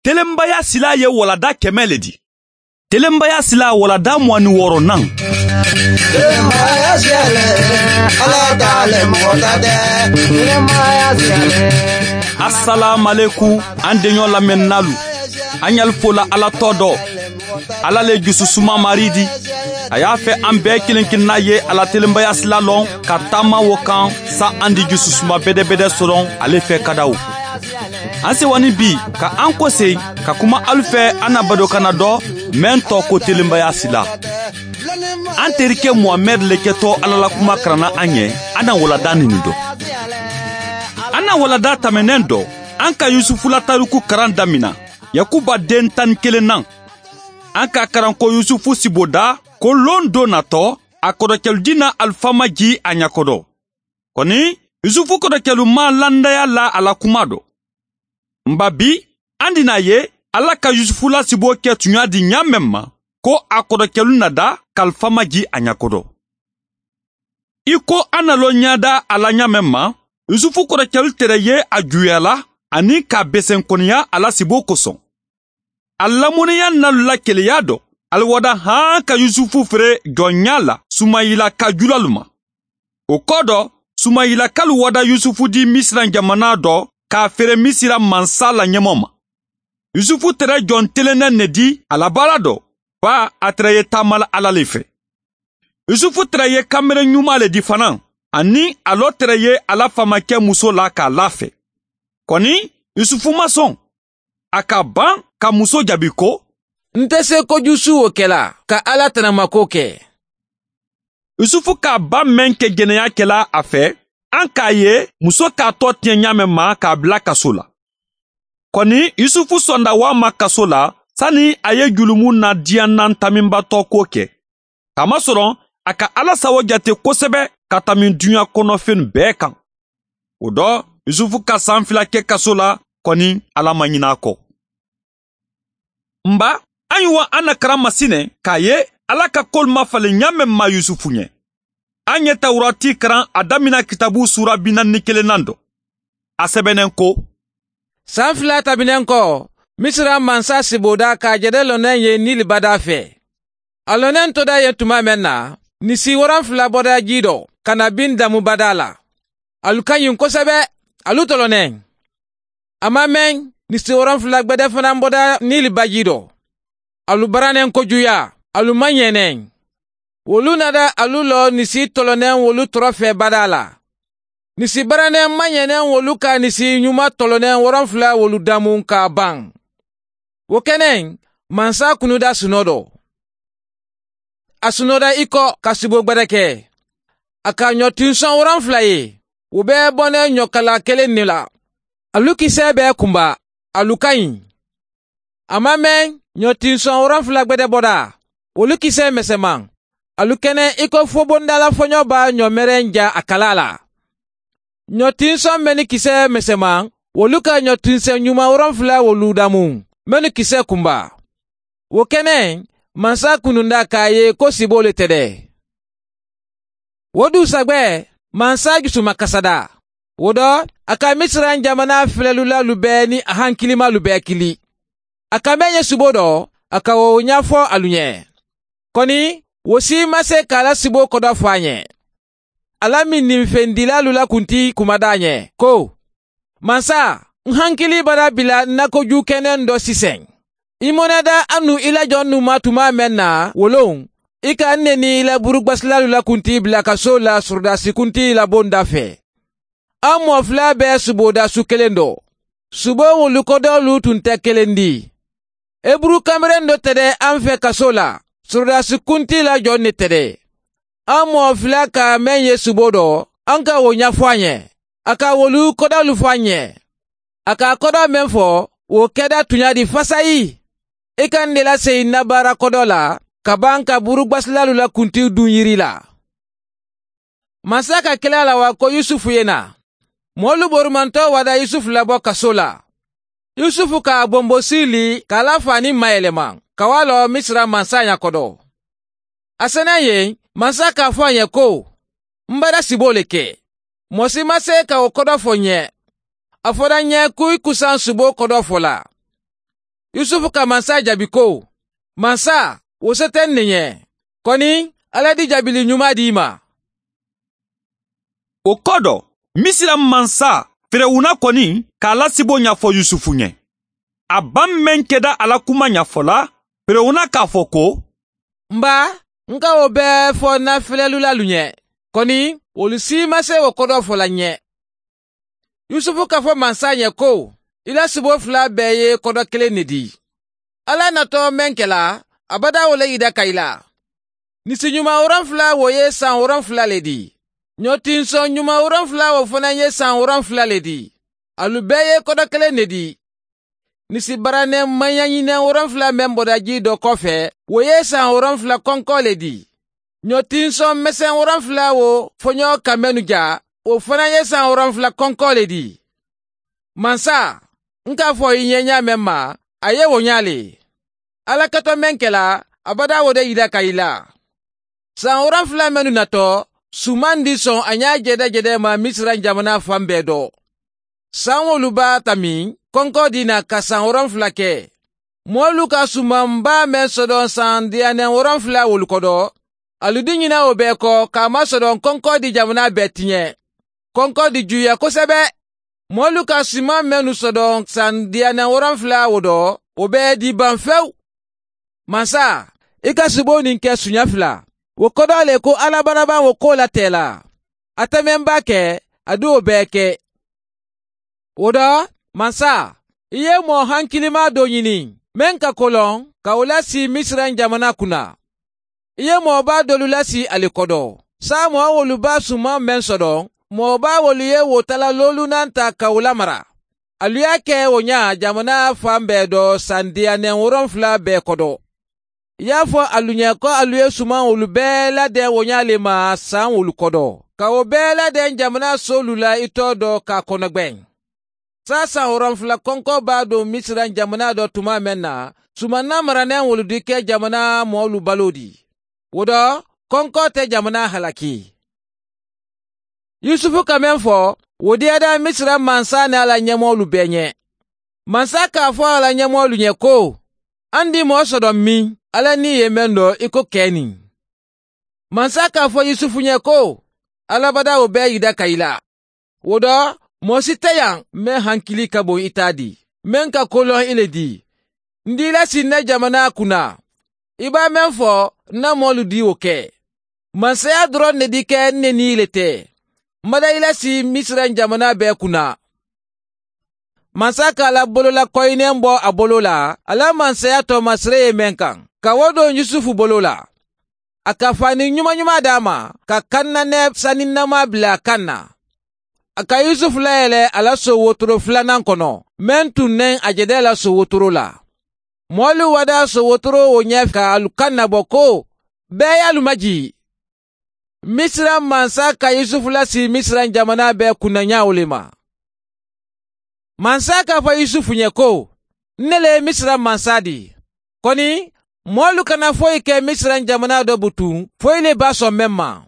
Telenbaya sila ye walada 100 le di. Telenbaya sila walada 26nan. Telenbaya siyale, Ala t'ale mɔgɔ ta tɛ. Telenbaya siyale. Assalamu an deɲɔ lamɛnnalu. An y'al fola Ala tɔ dɔ. Ala le jususuma mari di. A y'a fɛ an bɛɛ kelen kelenna ye Ala telenbaya sila lɔn ka taama wo kan sa an di jususuma bɛdɛbɛdɛ sɔrɔ ale fɛ kadaw. An sewani bi ka an kɔse ka kuma alu fɛ an na badokana dɔ mɛn tɔ ko telenbaya sila. An terikɛ Muhamɛd le kɛtɔ Ala la kuma karanna an ɲɛ, an na walada nin dɔ. An na walada tɛmɛnɛn dɔ, an ka Yusufu la tariku karan damina, Yakuba den 11nan. An ka karan ko Yusufu siboda ko lon do natɔ, a kɔrɔkɛlu na alifama ji a ɲakɔdɔ. Kɔni, Yusufu kɔrɔkɛlu ma landaya la a la kuma dɔ. Nba bi, an dina ye Ala ka Yusufu la sibo kɛ tunya di ɲa mɛn ma, ko a kɔrɔkɛlu nada kalifama ji a ɲakɔdɔ. I ko an nalɔ ɲada a la ɲa mɛn ma, Yusufu kɔrɔkɛlu tɛrɛ ye a juya la ani k'a bɛsɛnkɔniya a la sibo kosɔn. A lamɔniya nalu la keleya dɔ, aliwada han ka Yusufu feere jɔnya la Sumayila ka julalu ma. O kɔ dɔ, Sumayila kalu wada Yusufu di Misira jamana dɔ k'a feere Misira mansa la ɲɛmɔ ma. Yusufu tɛrɛ jɔn telennɛ ne di a la baara dɔ, ba a tɛrɛ ye taamala Ala le fɛ. Yusufu tɛrɛ ye kanbere ɲuman le di fana, ani a lɔ tɛrɛ ye a la famakɛ muso la k'a lafɛ. Kɔni, Yusufu ma sɔn. A ka ban ka muso jaabi ko, N tɛ se kojusu o kɛla ka Ala tanamako kɛ. Yusufu k'a ba mɛn kɛ jɛnɛya kɛla a fɛ, an k'a ye muso k'a tɔ tiɲɛ ɲa mɛn ma k'a bila kaso la. Kɔni, Yusufu sɔnda wa ma kaso la, sani a ye julumu na diyanan taminbatɔ ko kɛ. Kamasɔrɔ, a ka Ala sago jate kosɛbɛ ka tami duɲa kɔnɔfɛn bɛɛ kan. O dɔ, Yusufu ka san 2 kɛ kaso la, kɔni Ala ma ɲinɛ a kɔ. Nba, an ye wa an na karan masinɛ k'a ye Ala ka kol ma falen ɲa mɛn ma Yusufu ɲɛ. An ye Tawurati karan a damina kitabu sura 41nan dɔ. A sɛbɛnnen ko, San 2 tɛmɛnen kɔ, Misira mansa siboda k'a jɛdɛ lɔnɛ ye Nili bada fɛ. A lɔnɛ toda ye tuma mɛn na, nisi 70 bɔda ji dɔ ka na bin damu bada la. Alu ka ɲi kosɛbɛ, alu tɔlɔnɛ. A ma mɛn, nisi 70 gbɛdɛ fana bɔda Nili baji dɔ. Alu baranen kojuya, alu ma ɲɛnɛ. Wolu nada alu lɔ nisi tɔlɔnɛ wolu tɔrɔ fɛ bada la. Nisi baranen ma ɲɛnɛ wolu ka nisi ɲuman tɔlɔnɛ 70 wolu damu k'a ban. O kɛnɛ, mansa kunuda sunɔ dɔ. A sunɔda i kɔ ka sibo gbɛdɛ kɛ. A ka ɲɔtinsɔn 70 ye, o bɛɛ bɔnɛ ɲɔkala kelen de la. Alu kisɛ bɛɛ kunba, alu ka ɲi. A ma mɛn, ɲɔtinsɔn 70 gbɛdɛ bɔda, olu kisɛ misɛnman. Alu kɛnɛ i ko fobondala fɔɲɔ b'a ɲɔmɛrɛn ja a kala la. Ɲɔtinsɔn mɛn ni kisɛ misɛnman, olu ka ɲɔtinsɛn ɲuman 70 wolu damu, mɛn ni kisɛ kunba. O kɛnɛ, mansa kununda k'a ye ko sibo le tɛ dɛ. O dugusajɛ, mansa jusuma kasada. O dɔ, a ka Misira jamana filɛlulalu bɛɛ ni a hankilimalu bɛɛ kili. A ka mɛn ye sibo dɔ, a ka o ɲɛfɔ alu ɲɛ. Kɔni, o si ma se k'a la sibo kɔdɔ fɔ a ɲɛ. Ala min nin fɛndilalu la kunti kumada ɲɛ ko, mansa, n hankili bara bila nakoju kɛnɛ dɔ sisan. I mɔnɛda an nu i la jɔn nu ma tuma mɛn na wolon, i ka ne ni i la burugbasilalu la kunti bila kaso la sɔrɔdasi kunti la bonda fɛ. An mɔ fila bɛɛ suboda su kelen dɔ. Subo wolu kɔdɔlu tun tɛ kelen di. Eburu kamalen dɔ tɛ dɛ an fɛ kaso la, sɔrɔdasi kunti la jɔn ne tɛ dɛ. An mɔ fila ka mɛn ye subo dɔ, an ka o ɲɛfɔ a ɲɛ. A ka wolu kɔdɔlu fɔ a ɲɛ. A ka kɔdɔ mɛn fɔ, o kɛda tunya di fasayi. I ka n de lase i na baara kɔdɔ la, ka ban ka burugbasilalu la kuntiw dun yiri la. Mansa ka kɛlɛ la wa ko Yusufu ye na. Mɔlu borumantɔ wada Yusufu labɔ kaso la. Yusufu ka bonbosi li k'a la fani mayɛlɛma, ka wa lɔ Misira mansa ɲakɔdɔ. A sɛnɛ yen, mansa k'a fɔ a ɲɛ ko, n bara sibo le kɛ. Mɔgɔ si ma se ka o kɔdɔ fɔ ɲɛ. A fɔra ɲɛ ko i kusan sibo kɔdɔ fɔ la. Yusufu ka mansa jaabi ko, mansa, o se tɛ nin ye. Kɔni, Ala di jaabili ɲuman di i ma. O kɔ dɔ, Misira mansa Ferewuna kɔni k'a la sibo ɲɛfɔ Yusufu ɲɛ. A ba mɛn kɛda a la kuma ɲɛfɔla, Ferewuna k'a fɔ ko, N ba, n ka o bɛɛ fɔ n na filɛlulalu ɲɛ. Kɔni, olu si ma se o kɔdɔ fɔla ɲɛ. Yusufu k'a fɔ mansa ɲɛ ko, i la sibo fila bɛɛ ye kɔdɔ kelen de di. Ala natɔ mɛn kɛla, abada o le yida ka i la. Nisi ɲuman 70 o ye san 70 le di. Ɲɔtinsɔn ɲuman 70 o fana ye san 70 le di. Alu bɛɛ ye kɔdɔ kelen de di. Nisi baranɛ maɲaɲinɛ 70 mɛn bɔda ji dɔ kɔfɛ, o ye san 70 kɔnkɔ le di. Ɲɔtinsɔn mɛsɛn 70 o fɔɲɔ ka mɛnu ja, o fana ye san 70 kɔnkɔ le di. Mansa, n k'a fɔ i ɲɛ ɲa mɛn ma, a ye o ɲa le. Ala katɔ mɛn kɛla, abada o de yira ka i la. San 70 mɛnu natɔ, suman di sɔn a ɲa jɛdɛjɛdɛ ma Misira jamana fan bɛɛ dɔ. San wolu b'a ta min, kɔnkɔ di na ka san 70 kɛ. Mɔɔlu ka sumanba mɛn sɔdɔn san diyanɛ 70 wolu kɔdɔ, alu di ɲina o bɛɛ kɔ k'a masɔrɔ kɔnkɔ di jamana bɛɛ tiɲɛ. Kɔnkɔ di juya kosɛbɛ. Mɔɔlu ka suman mɛnu sɔdɔn san diyanɛ 70 o dɔ, o bɛɛ di ban fewu. Mansa, i ka sibo nin kɛ suɲɛ fila. O kɔdɔ le ko Ala baraba o ko la tɛ la. A tɛ mɛn ba kɛ, a di o bɛɛ kɛ. O dɔ, mansa, i ye mɔɔ hankilima dɔ ɲini, mɛn ka kolɔn, ka o lasi Misira jamana kunna. I ye mɔɔba dɔlu lasi ale kɔdɔ. Sa mɔɔ wolu ba suman mɛn sɔdɔn, mɔɔba wolu ye wotala lolunan ta ka o lamara. Alu y'a kɛ o ɲa jamana fan bɛɛ dɔ san diyanɛ 70 bɛɛ kɔdɔ. I y'a fɔ alu ɲɛ ko alu ye suman olu bɛɛ ladɛn o ɲa le ma san wolu kɔdɔ. Ka o bɛɛ ladɛn jamana solu la i tɔ dɔ k'a kɔnɔgbɛn. Sa san 70 kɔnkɔ b'a don Misira jamana dɔ tuma mɛn na, suman maranen wolu di kɛ jamana mɔɔlu balo di. O dɔ, kɔnkɔ tɛ jamana halaki. Yusufu ka mɛn fɔ, o diyada Misira mansa ni a la ɲɛmɔgɔlu bɛɛ ɲɛ. Mansa k'a fɔ a la ɲɛmɔgɔlu ɲɛ ko, an di mɔɔ sɔdɔ min, Ala ni ye mɛn dɔ i ko kɛ nin. Mansa k'a fɔ Yusufu ɲɛ ko, Alabada o bɛɛ yida ka i la. O dɔ, mɔɔ si tɛ yan mɛn hankili ka bon i t'a di, mɛn ka kolɔn i le di. N di lasi ne jamana kunna. I b'a mɛn fɔ, n na mɔɔlu di o kɛ. Mansaya dɔrɔn ne di kɛ ne ni le tɛ. N bada i lasi Misira jamana bɛɛ kunna. Mansa k'a la bolola kɔyinɛn bɔ a bolo la, a la mansaya tɔmasere ye mɛn kan, ka o don Yusufu bolo la. A ka fani ɲuman ɲuman d'a ma, ka kannanɛ saninama bila a kan na. A ka Yusufu layɛlɛ a la so wotoro filanan kɔnɔ, mɛn tun nɛn a jɛdɛ la so wotoro la. Mɔɔlu wada so wotoro o ɲɛ ka alu kan nabɔ ko, bɛɛ y'alu maji. Misira mansa ka Yusufu lasi Misira jamana bɛɛ kunnaɲaw le ma. Mansa k'a fɔ Yusufu ɲɛ ko, ne le ye Misira mansa di. Kɔni, mɔɔlu kana foyi kɛ Misira jamana dɔ butun, foyi le b'a sɔn mɛn ma.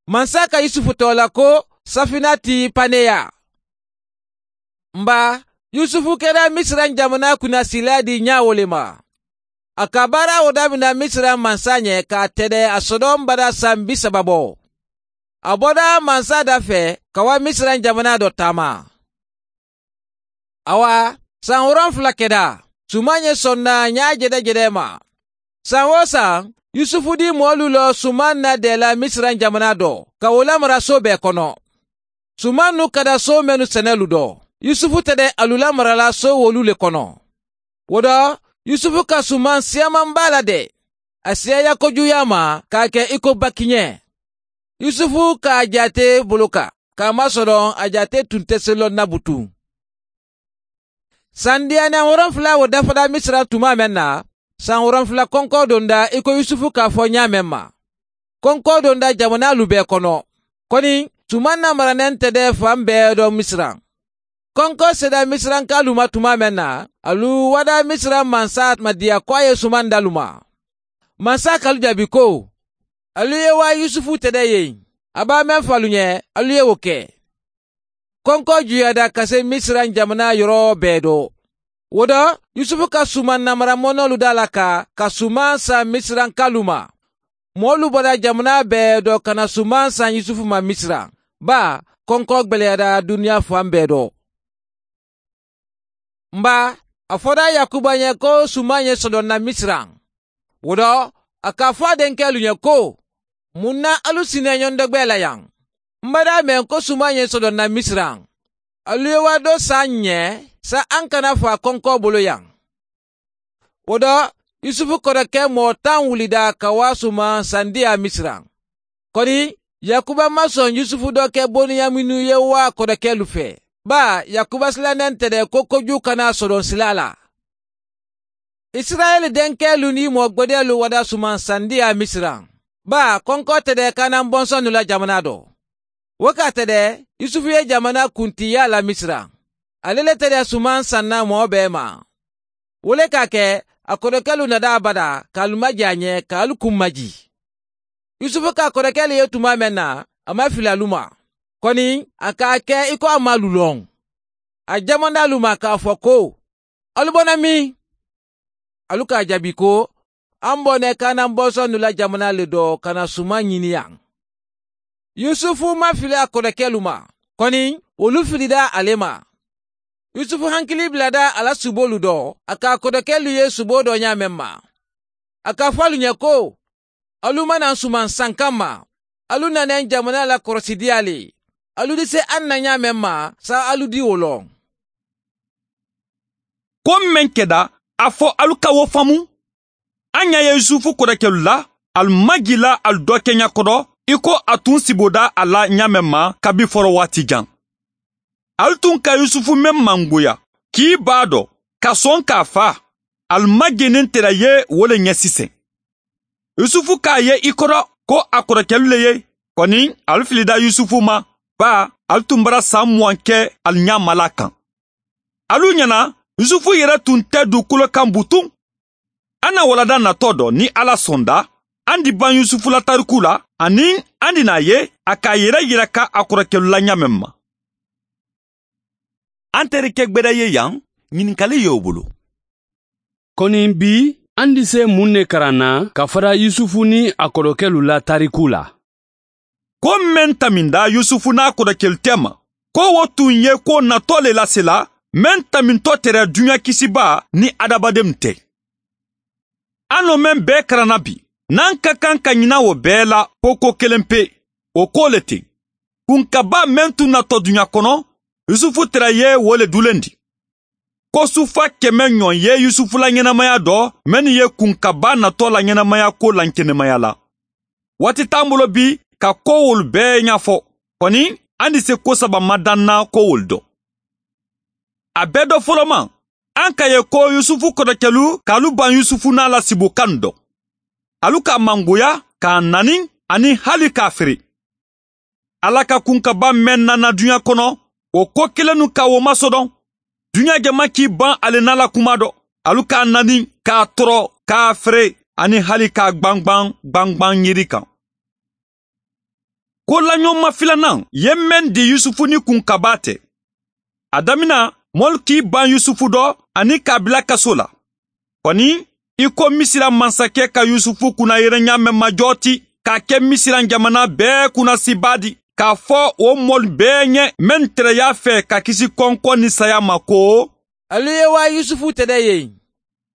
Mansa ka Yusufu tɔgɔ la ko Safinati Paneya. Nba, Yusufu kɛra Misira jamana kunnasila di ɲawo le ma. A ka baara o daminɛ Misira mansa ɲɛ k'a tɛdɛ a sɔdɔn bada san 30 bɔ. A bɔra mansa da fɛ ka wa Misira jamana dɔ taama. Awa, san 70 kɛda, suman ye sɔnna ɲa jɛdɛjɛdɛ ma. San o san, Yusufu di mɔɔlu lɔ suman na dɛla Misira jamana dɔ, ka o lamara so bɛɛ kɔnɔ. Suman nu ka da so mɛnu sɛnɛlu dɔ. Yusufu tɛ dɛ alu lamarala so wolu le kɔnɔ. O dɔ, Yusufu ka suman siyaman b'a la dɛ. A siyaya kojuya ma k'a kɛ i ko bakiɲɛ. Yusufu k'a jate bolo kan, k'a masɔrɔ a jate tun tɛ se lɔ nabutu. San diyanɛ 70 o dafara Misira tuma mɛn na, san 70 kɔnkɔ donda i ko Yusufu k'a fɔ ɲa mɛn ma. Kɔnkɔ donda jamana lu bɛɛ kɔnɔ. Kɔni, suman na maranɛn tɛ dɛ fan bɛɛ dɔ Misira. Kɔnkɔ sera Misirankalu ma tuma mɛn na, alu wada Misira mansa madiya ko a ye suman dalu ma. Mansa kalu jaabi ko, alu ye wa Yusufu tɛ dɛ yen, a b'a mɛn fɔ alu ɲɛ, alu ye o kɛ. Kɔnkɔ juyada ka se Misira jamana yɔrɔ bɛɛ dɔ. O dɔ, Yusufu ka suman namara mɔnɔlu da la ka suman san Misirankalu ma. Mɔɔlu bɔra jamana bɛɛ dɔ ka na suman san Yusufu ma Misira. Ba, kɔnkɔ gwɛlɛyara duniya fan bɛɛ dɔ. Nba, a fɔra Yakuba ɲɛ ko suman ye sɔdɔnna Misira. O dɔ, a k'a fɔ a denkɛlu ɲɛ ko, mun na alu sinɛ ɲɔndɔgbɛ la yan? N bada mɛn ko suman ye sɔdɔnna Misira. Alu ye wa dɔ san ɲɛ, sa an kana fɔ a kɔnkɔ bolo yan. O dɔ, Yusufu kɔrɔkɛ mɔɔ 10 wulida ka wa suman sandiya Misira. Kɔni, Yakuba ma sɔn Yusufu dɔ kɛ Boniyaminu ye wa kɔrɔkɛlu fɛ. Ba, Yakuba silannen tɛ dɛ ko kojugu kana sɔrɔ sila la. Israɛl denkɛlu ni mɔgbɛdɛlu wada suman sandiya Misira. Ba, kɔnkɔ tɛ dɛ kanan bɔnsɔnnu la jamana dɔ. O ka tɛ dɛ, Yusufu ye jamana kuntiya la Misira. Ale le tɛ dɛ suman sanna mɔɔ bɛɛ ma. O le ka kɛ, a kɔrɔkɛlu nada abada k'alu maji a ɲɛ k'alu kun maji. Yusufu ka kɔrɔkɛlu ye tuma mɛn na, a ma fili alu ma. Kɔni, a k'a kɛ i ko a ma lulɔn. A jamana alu ma k'a fɔ ko, alu bɔnna min? Alu k'a jaabi ko, an bɔnɛ kanan bɔnsɔnnu la jamana le dɔ ka na suman ɲini yan. Yusufu ma fili a kɔrɔkɛlu ma. Kɔni, olu filida ale ma. Yusufu hankili bilada a la subolu dɔ, a k'a kɔrɔkɛlu ye subo dɔ ɲa mɛn ma. A k'a fɔ alu ɲɛ ko, alu mana suman san kama, alu nana jamana la kɔrɔsidiya le. Alu di se an na ɲa mɛn ma, sa alu di o lɔ. Ko mɛn kɛda, a fɔ alu ka wo faamu. An ɲa ye Yusufu kɔrɔkɛlu la, alu majila alu dɔ kɛɲa kɔrɔ, i ko a tun siboda a la ɲa mɛn ma kabi fɔlɔ waati jan. Alu tun ka Yusufu mɛn mangoya, k'i b'a dɔn, ka sɔn k'a fa, alu majenin tɛrɛ ye wo le ɲɛ sisan. Yusufu k'a ye i kɔrɔ ko a kɔrɔkɛlu le ye, kɔni alu filida Yusufu ma, ba alu tun bara san 20 kɛ alu ɲa mala kan. Alu ɲɛna, Yusufu yɛrɛ tun tɛ dugukolo kan butun. An na walada natɔ dɔ ni Ala sɔnda, an di ban Yusufu la tariku la, ani an di n'a ye a k'a yɛrɛ yira ka a kɔrɔkɛlu la ɲa mɛn ma. An terikɛ gbɛdɛ ye yan, ɲininkali y'o bolo. Kɔni bi, an di se mun de karan na ka fara Yusufu ni a kɔrɔkɛlu la tariku la? Ko mɛn taminda Yusufu n'a kɔrɔkɛlu tɛ ma, ko o tun ye ko natɔ le lasela, mɛn tamintɔ tɛrɛ duɲa kisiba ni adamadenw tɛ. An n'o mɛn bɛɛ karanna bi, n'an ka kan ka ɲina o bɛɛ la ko ko kelen pe, o ko le ten. Kunkaba mɛn tun natɔ duɲa kɔnɔ, Yusufu tɛrɛ ye wo le dulen di. Ko sufa 100 ɲɔgɔn ye Yusufu la ɲɛnamaya dɔ, mɛn ye kunkaba natɔ la ɲɛnamaya ko la kɛnɛmaya la. Waati t'an bolo bi ka ko wolu bɛɛ ɲɛfɔ. Kɔni, an di se ko saba madanna ko wolu dɔ. A bɛɛ dɔ fɔlɔ ma, an ka ye ko Yusufu kɔrɔkɛlu k'alu ban Yusufu n'a la sibokan dɔ. Alu k'a mangoya, k'a nani, ani hali k'a feere. Ala ka kunkaba mɛn nana duɲa kɔnɔ, o ko kelen nu ka o masɔdɔn. Duɲa jama k'i ban ale n'a la kuma dɔ. Alu k'a nani, k'a tɔrɔ, k'a feere, ani hali k'a gbangban gbangban yiri kan. Ko laɲɔgɔnma filanan ye mɛn di Yusufu ni kunkaba tɛ. A damina, mɔlu k'i ban Yusufu dɔ ani k'a bila kaso la. Kɔni, i ko Misira mansakɛ ka Yusufu kunna yɛrɛ ɲa mɛn majɔ ti, k'a kɛ Misira jamana bɛɛ kunna siba di, k'a fɔ o mɔlu bɛɛ ɲɛ mɛn tɛrɛ y'a fɛ ka kisi kɔnkɔ ni saya ma ko, alu ye wa Yusufu tɛ dɛ yen.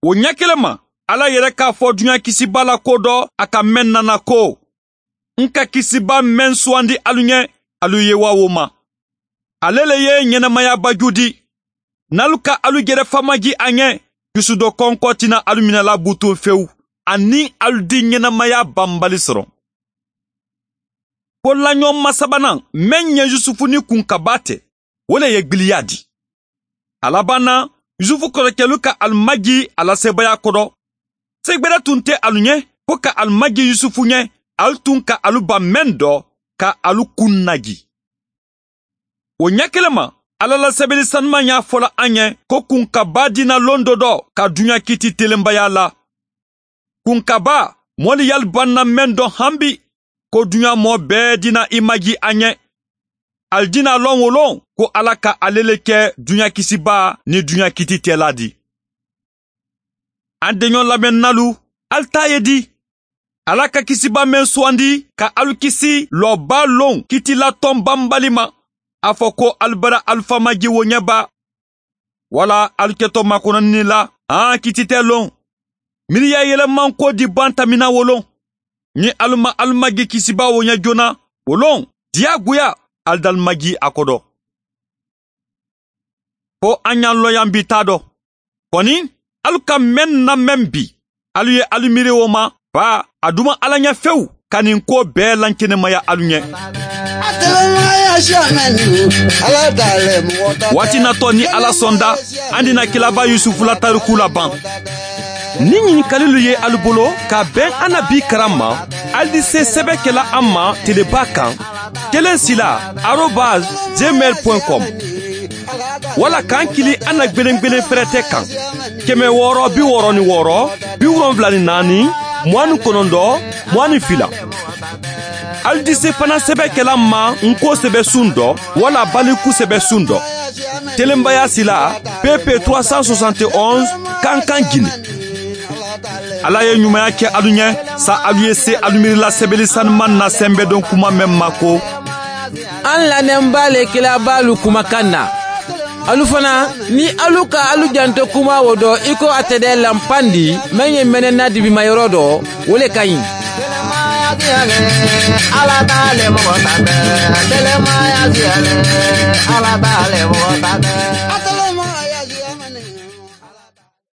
O ɲɛ kelen ma, Ala yɛrɛ k'a fɔ duɲa kisiba la ko dɔ, a ka mɛn nana ko, n ka kisiba mɛn suwandi alu ɲɛ, alu ye wa o ma. Ale le ye ɲɛnamaya baju di. N'alu ka alu jɛrɛ famaji a ɲɛ, dusu dɔ kɔnkɔ tɛna alu minɛla butun fewu, ani alu di ɲɛnamaya banbali sɔrɔ. Ko laɲɔgɔnma sabanan mɛn ɲɛ Yusufu ni kunkaba tɛ, o le ye gbiliya di. A laban na, Yusufu kɔrɔkɛlu ka alimaji a la sebaaya kɔrɔ. Segbɛrɛ tun tɛ alu ɲɛ, ko ka alimaji Yusufu ɲɛ, alu tun ka alu ban mɛn dɔ, ka alu kun naji. O ɲɛ kelen ma, Ala la sɛbɛnni sanuman y'a fɔla an ɲɛ ko kunkaba dina lon dɔ dɔ ka duɲa kiti telenbaya la. Kunkaba, mɔli yali banna mɛn dɔ hanbi, ko duɲa mɔ bɛɛ dina i maji an ɲɛ. Alijina lɔn wolon ko Ala ka ale le kɛ duɲa kisiba ni duɲa kiti tɛla di. An denɲɔ lamɛnnalu, al ta ye di? Ala ka kisiba mɛn suwandi ka alu kisi lɔba lon kitilatɔn banbali ma. A fɔ ko alu bara alu famaji wo ɲɛba. Wala alu kɛtɔ makɔnɔni la, an kiti tɛ lon. Miiriya yɛlɛman ko di ban tamina wolon. Ni alu ma alu magi kisiba wo ɲɛ joona, wolon, diyagoya, alu d'alu magi a kɔdɔ. Fo an y'an lɔ yan bi ta dɔ. Kɔni, alu ka mɛn na mɛn bi, alu ye alu miiri o ma, ba a duma ala ɲɛ fewu ka nin ko bɛɛ lankɛnɛmaya alu ɲɛ. Waati natɔ ni Ala sɔnda, an dina kilaba Yusufu la tariku laban. Ni ɲininkalilu ye alu bolo ka bɛn an na bi karan ma, alu di se sɛbɛ kɛla an ma teleba kan 1sila@gmail.com wala k'an kili an na gbelengbelen fɛrɛtɛ kan 666 74 29 22. Alu di se fana sɛbɛ kɛla ma nko sɛbɛ sun dɔ wala baliku sɛbɛ sun dɔ. Telenbaya sila PP 371 Kankan Guinée. Ala ye ɲumanya kɛ alu ɲɛ sa alu ye se alu miirila sɛbɛli sanuman na sɛnbɛdon kuma mɛn ma ko an lamɛnba le kilabalu kumakan na. Alu fana ni alu ka alu janto kuma wo dɔ i ko a tɛ dɛ lanpandi mɛn ye mɛnɛna dibimayɔrɔ dɔ, o le ka ɲi. Ala t'ale mɔgɔ ta tɛ, telemaya siyale, Ala t'ale mɔgɔ ta tɛ.